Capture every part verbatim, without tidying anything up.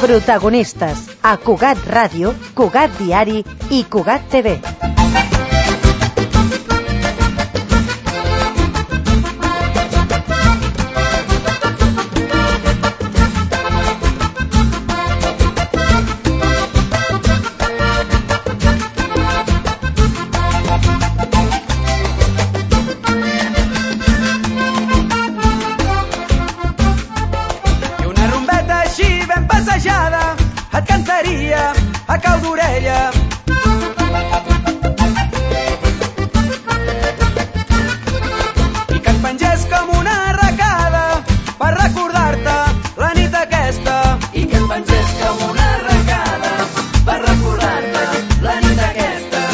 Protagonistes a Cugat Ràdio, Cugat Diari i Cugat T V. Et cantaria a cau d'orella. I que et pengés com una arracada per recordar-te la nit aquesta. I que et pengés com una arracada per recordar-te la nit aquesta.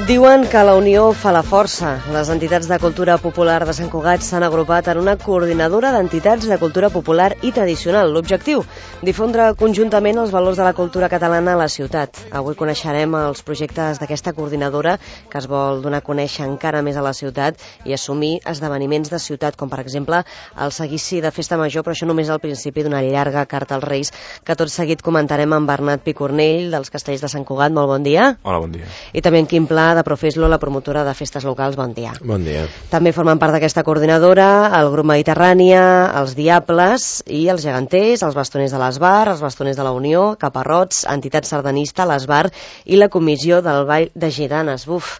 Diuen que la unió fa la força. Les entitats de cultura popular de Sant Cugat s'han agrupat en una coordinadora d'entitats de cultura popular i tradicional. L'objectiu, difondre conjuntament els valors de la cultura catalana a la ciutat. Avui coneixerem els projectes d'aquesta coordinadora que es vol donar a conèixer encara més a la ciutat i assumir esdeveniments de ciutat, com per exemple el seguici de Festa Major, però això només al principi d'una llarga carta als Reis que tot seguit comentarem amb Bernat Picornell dels Castells de Sant Cugat. Molt bon dia. Hola, bon dia. I també en Quim Pla de Profeslo, la promotora de festes locals. Bon dia. Bon dia. També formen part d'aquesta coordinadora el grup Mediterrània, els Diables i els Geganters, els Bastoners de l'Esbar, els Bastoners de la Unió, Caparrots, Entitat Sardanista, l'Esbar i la Comissió del Ball de Gitanes. Buf,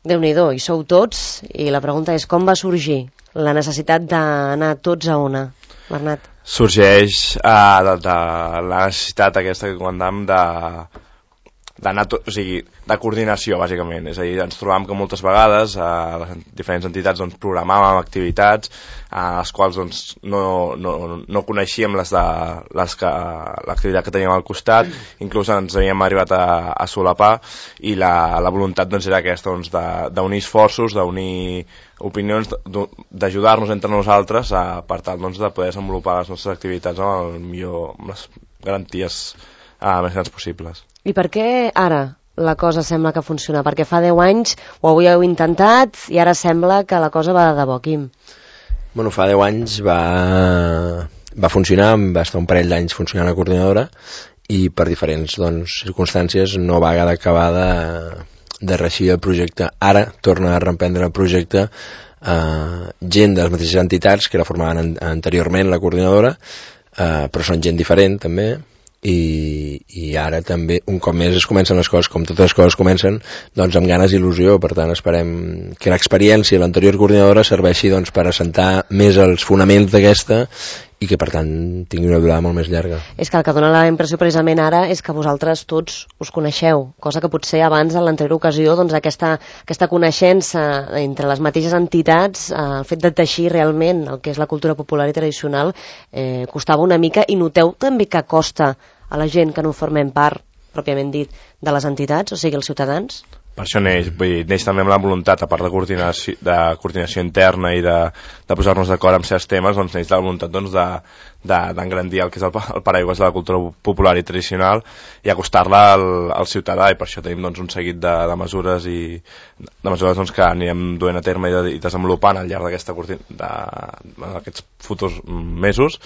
Déu-n'hi-do, hi sou tots i la pregunta és com va sorgir la necessitat d'anar tots a una, Bernat? Sorgeix uh, de, de la necessitat aquesta que comentàvem de d'anar tot, o sigui, de coordinació, bàsicament. És a dir, ens trobàvem que moltes vegades a les diferents entitats doncs, programàvem activitats a les quals doncs, no, no, no coneixíem les de, les que, l'activitat que teníem al costat, inclús ens havíem arribat a, a solapar, i la, la voluntat doncs, era aquesta, doncs, d'unir esforços, d'unir opinions, d'ajudar-nos entre nosaltres a, per tal doncs, de poder desenvolupar les nostres activitats amb, el millor, amb les garanties uh, més grans possibles. I per què ara la cosa sembla que funciona? Perquè fa deu anys ho havíeu intentat i ara sembla que la cosa va de debò, Quim. Bueno, fa deu anys va, va funcionar, va estar un parell d'anys funcionant la coordinadora i per diferents doncs, circumstàncies no va acabar de, de reeixir el projecte. Ara torna a reemprendre el projecte eh, gent de les mateixes entitats que la formaven an anteriorment la coordinadora, eh, però són gent diferent també. I, i ara també un cop més es comencen les coses com totes les coses comencen, doncs amb ganes i il·lusió. Per tant esperem que l'experiència de l'anterior coordinadora serveixi doncs, per assentar més els fonaments d'aquesta i que per tant tingui una durada molt més llarga. És que el que dona la impressió precisament ara és que vosaltres tots us coneixeu, cosa que potser abans en l'anterior ocasió doncs, aquesta, aquesta coneixença entre les mateixes entitats, eh, el fet de teixir realment el que és la cultura popular i tradicional eh, costava una mica, i noteu també que costa a la gent que no formem part, pròpiament dit, de les entitats, o sigui els ciutadans? Per això neix, vull dir, neix també amb la voluntat, a part de coordinació, de coordinació interna i de, de posar-nos d'acord amb certs temes, doncs neix la voluntat doncs, d'engrandir de, el que és el, el paraigües de la cultura popular i tradicional i acostar-la al, al ciutadà, i per això tenim doncs, un seguit de, de mesures i de mesures doncs, que anirem duent a terme i, de, i desenvolupant al llarg d'aquests futurs mesos.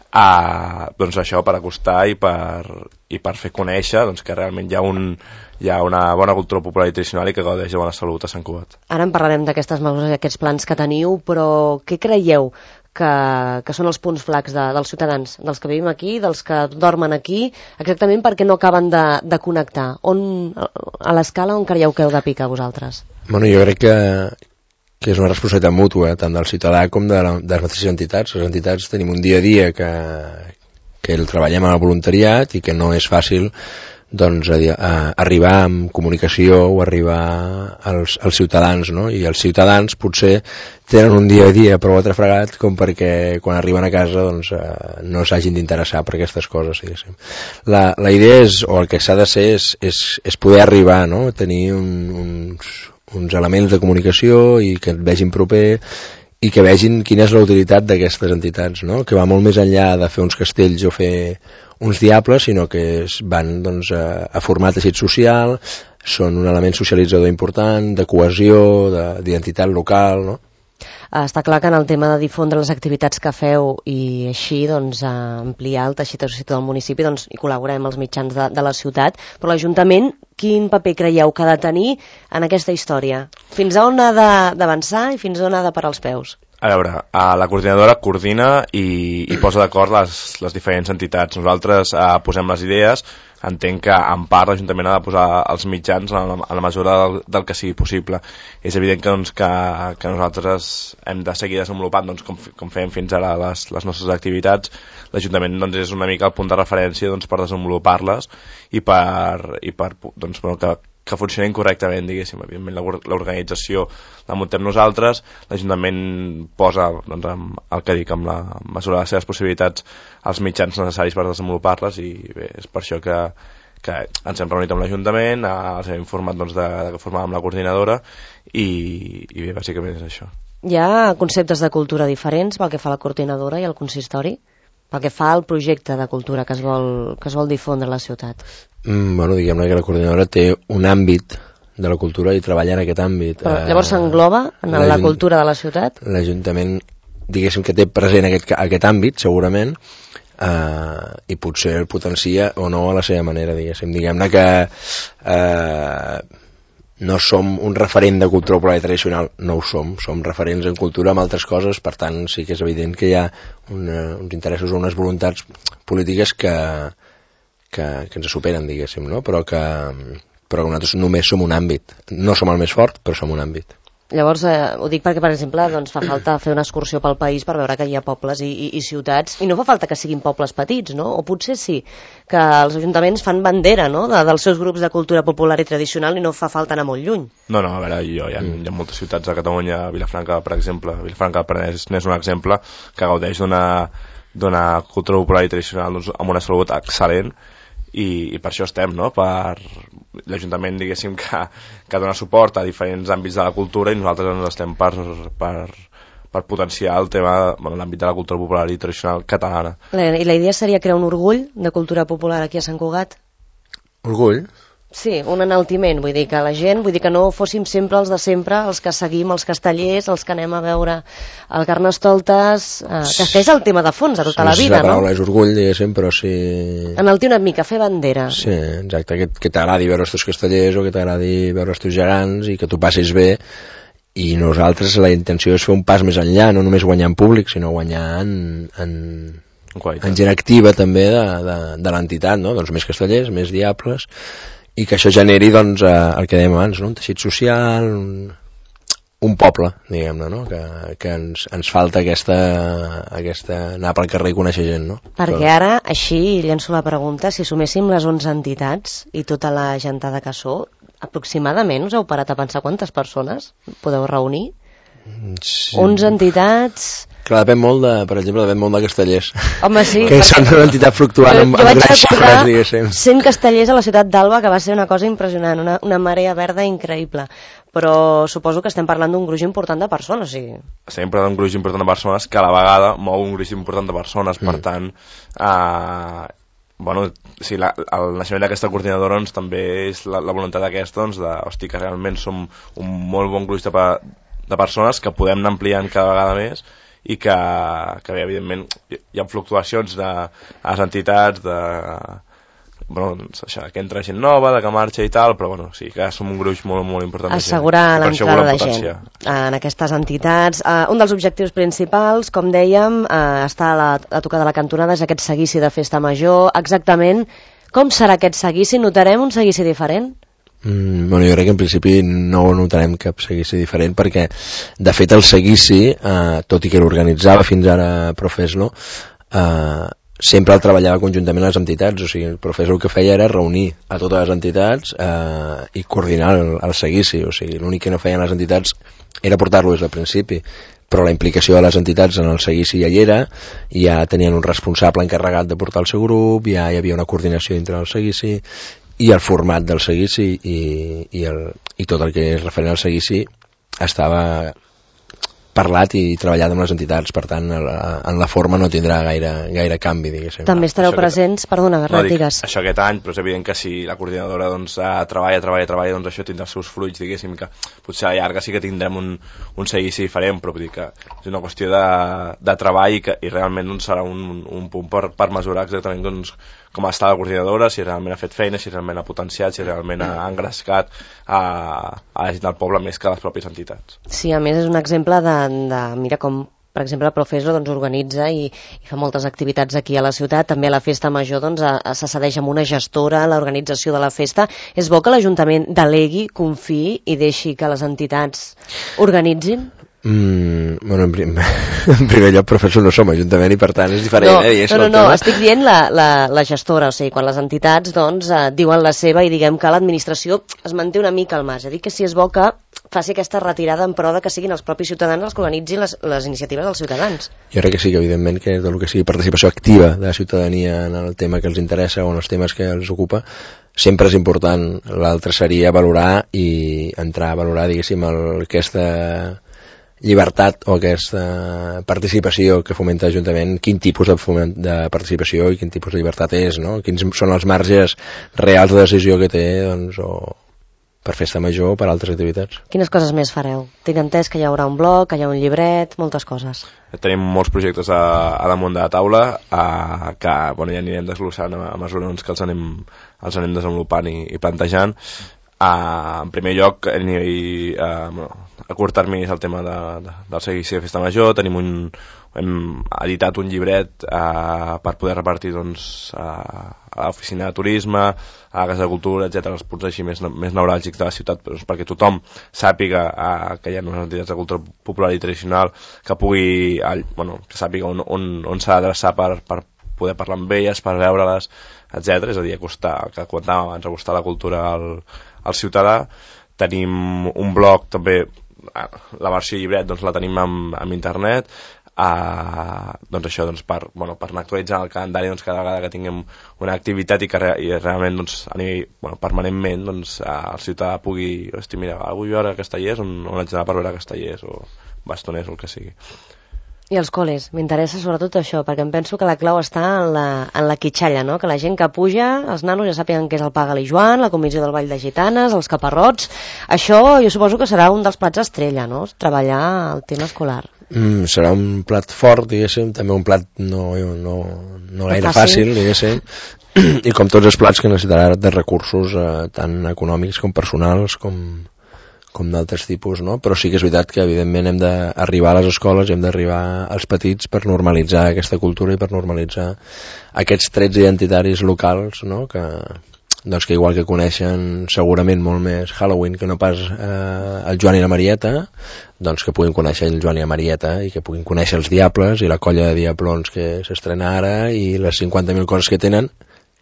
Uh, doncs això, per acostar i per, i per fer conèixer doncs, que realment hi ha, un, hi ha una bona cultura popular i tradicional i que gaudeix de bona salut a Sant Cugat. Ara en parlarem d'aquestes mesures i aquests plans que teniu, però què creieu que, que són els punts flacs de, dels ciutadans, dels que vivim aquí, dels que dormen aquí, exactament perquè no acaben de, de connectar? On, a l'escala on creieu que heu de picar vosaltres? Bueno, jo crec que que és una responsabilitat mútua, tant del ciutadà com de, la, de les mateixes entitats. Les entitats tenim un dia a dia que, que el treballem en el voluntariat i que no és fàcil doncs, a, a arribar amb comunicació o arribar als, als ciutadans, no? I els ciutadans potser tenen un dia a dia prou atrafregat com perquè quan arriben a casa doncs, eh, no s'hagin d'interessar per aquestes coses. Diguéssim. La, la idea és, o el que s'ha de ser és, és, és poder arribar, no? Tenir un, uns uns elements de comunicació i que et vegin proper i que vegin quina és la utilitat d'aquestes entitats, no? Que va molt més enllà de fer uns castells o fer uns diables, sinó que es van doncs, a, a formar teixit social, són un element socialitzador important, de cohesió, d'identitat local, no? està clar que en el tema de difondre les activitats que feu i així doncs, ampliar el teixit associatiu del municipi, doncs hi col·laborem els mitjans de, de la ciutat, però l'Ajuntament quin paper creieu que ha de tenir en aquesta història? Fins a on ha d'avançar i fins a on ha de parar els peus? A veure, la coordinadora coordina i, i posa d'acord les, les diferents entitats. Nosaltres eh, posem les idees, entenc que en part l'Ajuntament ha de posar els mitjans en la, en la mesura del, del que sigui possible. És evident que, doncs, que, que nosaltres hem de seguir desenvolupant doncs, com, com fem fins ara les, les nostres activitats. L'Ajuntament doncs, és una mica el punt de referència doncs, per desenvolupar-les i per, i per doncs, bueno, que que funcionin correctament, diguéssim. Evidentment, l'organització la muntem nosaltres, l'Ajuntament posa, doncs, el que dic, amb la mesura de les seves possibilitats, els mitjans necessaris per desenvolupar-les, i bé, és per això que, que ens hem reunit amb l'Ajuntament, els hem informat doncs, de, de que formàvem la coordinadora, i, i bé, bàsicament és això. Hi ha conceptes de cultura diferents pel que fa a la coordinadora i al consistori? Pel que fa al projecte de cultura que es vol, que es vol difondre a la ciutat? Mm, bueno, diguem-ne que la coordinadora té un àmbit de la cultura i treballa en aquest àmbit. Però, llavors s'engloba en la cultura de la ciutat? L'Ajuntament, diguéssim que té present aquest, aquest àmbit, segurament, eh, i potser el potencia o no a la seva manera, diguéssim. Diguem-ne que eh, no som un referent de cultura popular i tradicional, no ho som, som referents en cultura amb altres coses, per tant sí que és evident que hi ha una, uns interessos o unes voluntats polítiques que, que, que ens superen, diguéssim, no? Però que, però que nosaltres només som un àmbit, no som el més fort, però som un àmbit. Llavors, eh, ho dic perquè, per exemple, doncs, fa falta fer una excursió pel país per veure que hi ha pobles i, i, i ciutats, i no fa falta que siguin pobles petits, no? O potser sí, que els ajuntaments fan bandera, no?, de, dels seus grups de cultura popular i tradicional i no fa falta anar molt lluny. No, no, a veure, jo, hi ha, hi ha moltes ciutats a Catalunya, Vilafranca, per exemple, Vilafranca del Penedès n'és un exemple, que gaudeix d'una d'una cultura popular i tradicional doncs, amb una salut excel·lent, i, i per això estem, no?, per l'Ajuntament, diguéssim, que, que dona suport a diferents àmbits de la cultura, i nosaltres ens estem per, per, per potenciar el tema, bueno, l'àmbit de la cultura popular i tradicional catalana. I la idea seria crear un orgull de cultura popular aquí a Sant Cugat? Orgull? Sí, un enaltiment, vull dir que la gent, vull dir que no fóssim sempre els de sempre, els que seguim els castellers, els que anem a veure el Carnestoltes, eh, que és el tema de fons de tota la vida, no? La paraula és orgull, diguéssim, però sí... Enaltir una mica, fer bandera. Sí, exacte, que, que t'agradi veure els teus castellers o que t'agradi veure els teus gegants i que tu passis bé, i nosaltres la intenció és fer un pas més enllà, no només guanyar en públic, sinó guanyar en... en... en gent activa també de, de, de l'entitat, no? Doncs més castellers, més diables, i que això generi, doncs, eh, el que dèiem abans, no? Un teixit social, un, un poble, diguem-ne, no? Que, que ens, ens falta aquesta, aquesta anar pel carrer i conèixer gent, no? Perquè ara, així, llenço la pregunta, si suméssim les onze entitats i tota la gentada que sou, aproximadament us heu parat a pensar quantes persones podeu reunir? Sí. onze entitats... Clar, depèn molt de, per exemple, depèn molt de castellers. Home, sí. Que són una entitat fluctuant jo, amb, jo amb grans xifres, diguéssim. cent castellers a la ciutat d'Alba, que va ser una cosa impressionant, una, una marea verda increïble. Però suposo que estem parlant d'un gruix important de persones, sí. Estem parlant d'un gruix important de persones que a la vegada mou un gruix important de persones, per mm. tant... Eh, bueno, sí, la, el naixement d'aquesta coordinadora doncs, també és la, la voluntat d'aquesta, doncs, de, hosti, que realment som un molt bon gruix de, de persones que podem anar ampliant cada vegada més, i que, que bé, evidentment hi ha fluctuacions de a les entitats, de bueno, doncs això, que entra gent nova, de que marxa i tal, però bueno, sí, que som un gruix molt, molt important. Assegurar l'entrada de gent en aquestes entitats. Uh, un dels objectius principals, com dèiem, uh, està a, la, a tocar de la cantonada, és aquest seguici de festa major. Exactament com serà aquest seguici? Notarem un seguici diferent? Mm, bueno, jo crec que en principi no notarem cap seguici diferent, perquè de fet el seguici, eh, tot i que l'organitzava fins ara Profeslo, eh, sempre el treballava conjuntament les entitats, o sigui, el Profeslo el que feia era reunir a totes les entitats eh, i coordinar el, el seguici, o sigui, l'únic que no feien les entitats era portar-lo des del principi, però la implicació de les entitats en el seguici ja hi era, ja tenien un responsable encarregat de portar el seu grup, ja hi havia una coordinació dintre del seguici, i el format del seguici i, i, el, i tot el que és referent al seguici estava parlat i treballat amb les entitats, per tant en la, en la forma no tindrà gaire, gaire canvi, diguéssim. També estareu Això presents, que... perdona, Bernat, no, dic, digues. Això aquest any, però és evident que si la coordinadora doncs, eh, treballa, treballa, treballa, doncs això tindrà els seus fruits, diguéssim, que potser a la llarga sí que tindrem un, un seguici diferent, però vull dir que és una qüestió de, de treball i, que, i realment doncs, serà un, un punt per, per mesurar exactament doncs, com està la coordinadora, si realment ha fet feina, si realment ha potenciat, si realment ha engrescat a, a la gent del poble més que les pròpies entitats. Sí, a més és un exemple de, de mira com, per exemple, el Profeso doncs, organitza i, i fa moltes activitats aquí a la ciutat, també a la Festa Major doncs, a, a, se cedeix amb una gestora l'organització de la festa. És bo que l'Ajuntament delegui, confiï i deixi que les entitats organitzin? Mm, bueno, en, prim, en primer lloc, professor, no som Ajuntament i per tant és diferent. No, eh, no, no, no, estic dient la, la, la gestora, o sigui, quan les entitats doncs, eh, diuen la seva i diguem que l'administració es manté una mica al marge. Dic que si és bo que faci aquesta retirada en pro de que siguin els propis ciutadans els que organitzin les, les iniciatives dels ciutadans. Jo crec que sí, que evidentment que tot el que sigui participació activa de la ciutadania en el tema que els interessa o en els temes que els ocupa sempre és important. L'altre seria valorar i entrar a valorar, diguéssim, el, aquesta llibertat o aquesta participació que fomenta l'Ajuntament, quin tipus de, foment, de participació i quin tipus de llibertat és, no? Quins són els marges reals de decisió que té, doncs, o per festa major o per altres activitats. Quines coses més fareu? Tinc entès que hi haurà un blog, que hi ha un llibret, moltes coses. Tenim molts projectes a, a damunt de la taula a, que bueno, ja anirem desglossant a, a mesura doncs, que els anem, els anem desenvolupant i, i plantejant. Uh, en primer lloc, a nivell uh, bueno, a curt termini és el tema de, de, del seguici de Festa Major. Tenim un, hem editat un llibret uh, per poder repartir doncs, uh, a l'oficina de turisme, a la Casa de Cultura, etcètera, els punts així més, més neuràlgics de la ciutat, doncs, perquè tothom sàpiga uh, que hi ha unes entitats de cultura popular i tradicional, que pugui, uh, bueno, que sàpiga on, on, on s'ha d'adreçar per, per poder parlar amb elles, per veure-les, etcètera. És a dir, acostar, que comentàvem abans, acostar la cultura al al ciutadà. Tenim un blog també, la versió llibret doncs la tenim amb, amb internet, uh, doncs això doncs per, bueno, per anar actualitzant el calendari doncs cada vegada que tinguem una activitat i que re, i realment doncs, a nivell, bueno, permanentment doncs, uh, el ciutadà pugui, hosti, mira, vull veure Castellers, on, on haig d'anar per veure Castellers o Bastoners o el que sigui. I els col·les, m'interessa sobretot això, perquè em penso que la clau està en la, en la quitxalla, no? Que la gent que puja, els nanos ja sàpiguen què és el Paga-li Joan, la comissió del Ball de Gitanes, els caparrots. Això jo suposo que serà un dels plats estrella, no? Treballar el tema escolar. Mm, serà un plat fort, diguéssim, també un plat no, no, no gaire fàcil, fàcil diguéssim, i com tots els plats que necessitarà de recursos eh, tant econòmics com personals com... com d'altres tipus, no? Però sí que és veritat que evidentment hem d'arribar a les escoles, hem d'arribar als petits per normalitzar aquesta cultura i per normalitzar aquests trets identitaris locals, no? Que, doncs que igual que coneixen segurament molt més Halloween que no pas eh, el Joan i la Marieta, doncs que puguin conèixer el Joan i la Marieta i que puguin conèixer els Diables i la colla de Diablons que s'estrena ara i les cinquanta mil coses que tenen,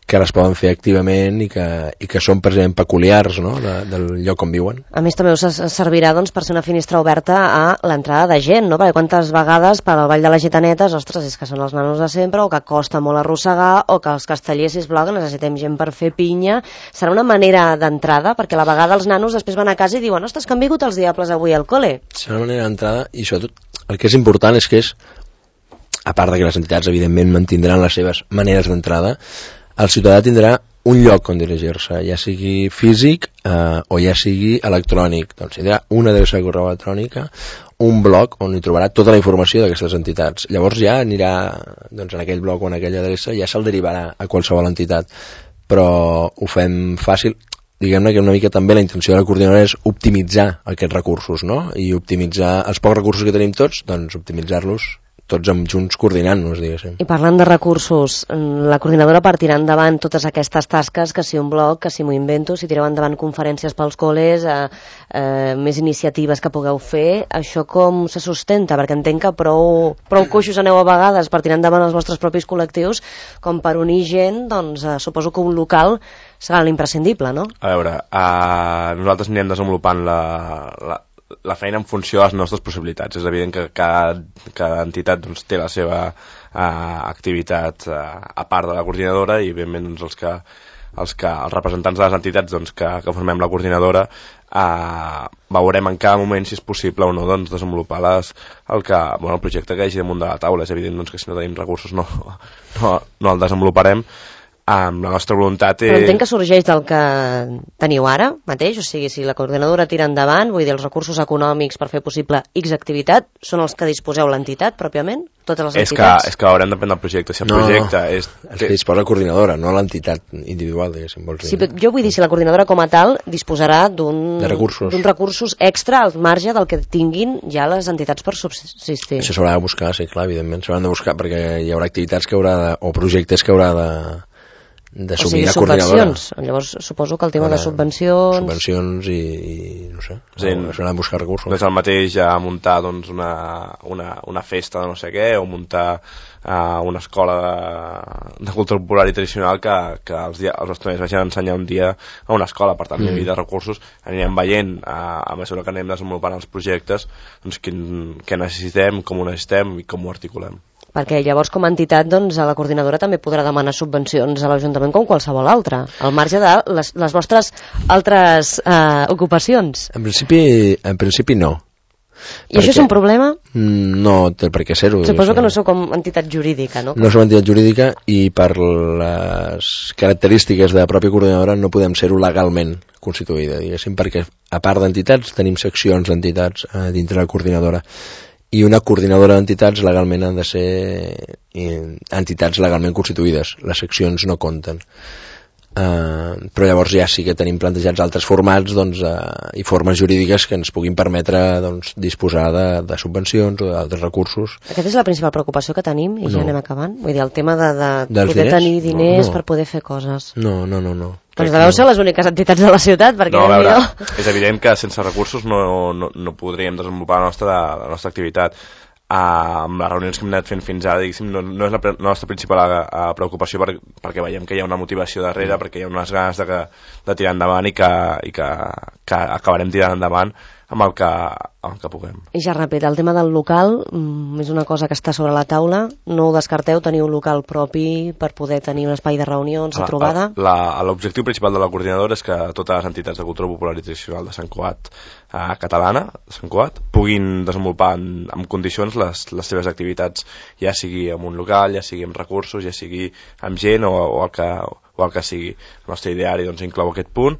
que les poden fer activament i que, i que són precisament peculiars, no? de, del lloc on viuen. A més també us servirà doncs, per ser una finestra oberta a l'entrada de gent, no? Perquè quantes vegades per al Ball de les Gitanetes, ostres, és que són els nanos de sempre o que costa molt arrossegar o que els castellers, sisplau, que necessitem gent per fer pinya. Serà una manera d'entrada, perquè a la vegada els nanos després van a casa i diuen, ostres, que han vingut els Diables avui al col·le. Serà una manera d'entrada i sobretot el que és important és que és, a part de que les entitats evidentment mantindran les seves maneres d'entrada, el ciutadà tindrà un lloc on dirigir-se, ja sigui físic eh, o ja sigui electrònic. Doncs tindrà una adreça de correu electrònica, un blog on hi trobarà tota la informació d'aquestes entitats. Llavors ja anirà, doncs en aquell blog o en aquella adreça, ja se'l derivarà a qualsevol entitat. Però ho fem fàcil. Diguem-ne que una mica també la intenció de la coordinadora és optimitzar aquests recursos, no? I optimitzar els pocs recursos que tenim tots, doncs optimitzar-los tots amb junts coordinant-nos, diguéssim. I parlant de recursos, la coordinadora partirà endavant totes aquestes tasques, que si un blog, que si m'ho invento, si tireu endavant conferències pels col·les, eh, eh, més iniciatives que pugueu fer, això com se sustenta? Perquè entenc que prou, prou coixos aneu a vegades per tirar endavant els vostres propis col·lectius, com per unir gent, doncs eh, suposo que un local serà l'imprescindible, no? A veure, eh, nosaltres anirem desenvolupant la... la la feina en funció de les nostres possibilitats. És evident que cada, cada entitat doncs, té la seva uh, activitat uh, a part de la coordinadora i evidentment doncs, els que els, que, els representants de les entitats doncs, que, que formem la coordinadora eh, veurem en cada moment si és possible o no doncs, desenvolupar les, el, que, bueno, el projecte que hi hagi damunt de la taula. És evident doncs, que si no tenim recursos no, no, no el desenvoluparem. Um, la nostra voluntat és... Però entenc que sorgeix del que teniu ara mateix, o sigui, si la coordinadora tira endavant, vull dir, els recursos econòmics per fer possible X activitat són els que disposeu l'entitat, pròpiament? Totes les és entitats? Que, és que haurem de prendre el projecte. Si el no, projecte és... els que disposa la coordinadora, no l'entitat individual, diguéssim, vols dir. Sí, jo vull dir, si la coordinadora com a tal disposarà d'un recursos. d'un recursos extra al marge del que tinguin ja les entitats per subsistir. Això s'haurà de buscar, sí, clar, evidentment, s'hauran de buscar perquè hi haurà activitats que haurà de, o projectes que haurà de d'assumir la coordinadora. Llavors suposo que el tema Ara, de subvencions... Subvencions i, i no sé, sí, s'han de buscar recursos. No és el mateix ja muntar doncs, una, una, una festa de no sé què o muntar uh, una escola de, de cultura popular i tradicional que, que els, dia, els estudiants vagin a ensenyar un dia a una escola. Per tant, mm. hi havia de recursos, anirem veient uh, a mesura que anem desenvolupant els projectes doncs, quin, què necessitem, com ho necessitem i com ho articulem. Perquè llavors com a entitat doncs, a la coordinadora també podrà demanar subvencions a l'Ajuntament com qualsevol altra, al marge de les, les vostres altres eh, ocupacions. En principi, en principi no. I perquè... això és un problema? No té per què ser-ho. Suposo que no sou com entitat jurídica, no? No som entitat jurídica i per les característiques de la pròpia coordinadora no podem ser-ho legalment constituïda, diguéssim, perquè a part d'entitats tenim seccions d'entitats eh, dintre la coordinadora. I una coordinadora d'entitats legalment han de ser entitats legalment constituïdes. Les seccions no compten. Uh, però llavors ja sí que tenim plantejats altres formats doncs, uh, i formes jurídiques que ens puguin permetre doncs, disposar de, de subvencions o d'altres recursos. Aquesta és la principal preocupació que tenim i no. ja anem acabant. Vull dir, el tema de, de Dels poder diners? tenir diners no, no. per poder fer coses. No, no, no, no. Doncs deveu ser les úniques entitats de la ciutat, perquè... No, a veure, és evident que sense recursos no, no, no podríem desenvolupar la nostra, la nostra activitat. Uh, amb les reunions que hem anat fent fins ara, diguéssim, no, no és la, pre la nostra principal uh, preocupació per, perquè veiem que hi ha una motivació darrere, mm. perquè hi ha unes ganes de, que, de tirar endavant i que, i que, que acabarem tirant endavant amb el que, amb el que puguem. I ja ràpid, el tema del local mm, és una cosa que està sobre la taula, no ho descarteu, teniu un local propi per poder tenir un espai de reunions, de trobada? L'objectiu principal de la coordinadora és que totes les entitats de cultura popular i tradicional de Sant Cugat eh, catalana, de Sant Cugat, puguin desenvolupar en, en condicions les, les seves activitats, ja sigui amb un local, ja sigui amb recursos, ja sigui amb gent o, o, el, que, o el que sigui. El nostre ideari doncs, inclou aquest punt.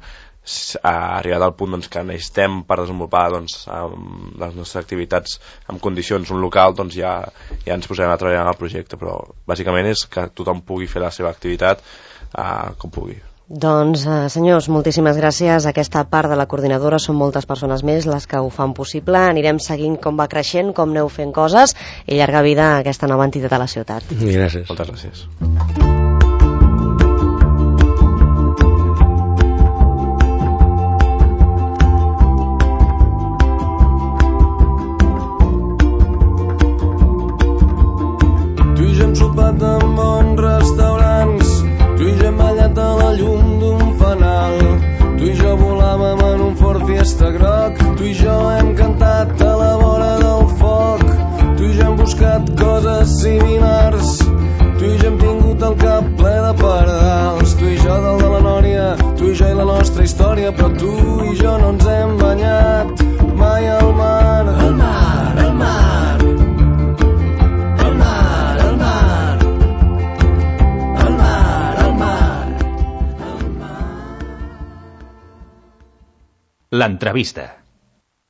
Ha arribat al punt doncs, que necessitem per desenvolupar doncs, les nostres activitats en condicions un local, doncs ja, ja ens posarem a treballar en el projecte, però bàsicament és que tothom pugui fer la seva activitat eh, com pugui. Doncs, eh, senyors, moltíssimes gràcies. Aquesta part de la coordinadora són moltes persones més les que ho fan possible. Anirem seguint com va creixent, com aneu fent coses i llarga vida a aquesta nova entitat a la ciutat. Gràcies. Moltes gràcies. Sopat en bons restaurants, tu i jo hem ballat a la llum d'un fanal, tu i jo volàvem en un Ford Fiesta groc, tu i jo hem cantat a la vora del foc, tu i jo hem buscat coses similars, tu i jo hem tingut el cap ple de pardals, tu i jo dalt de la Nòria, tu i jo i la nostra història, però tu i jo no ens hem banyat mai al mar. Al mar, al mar. L'entrevista.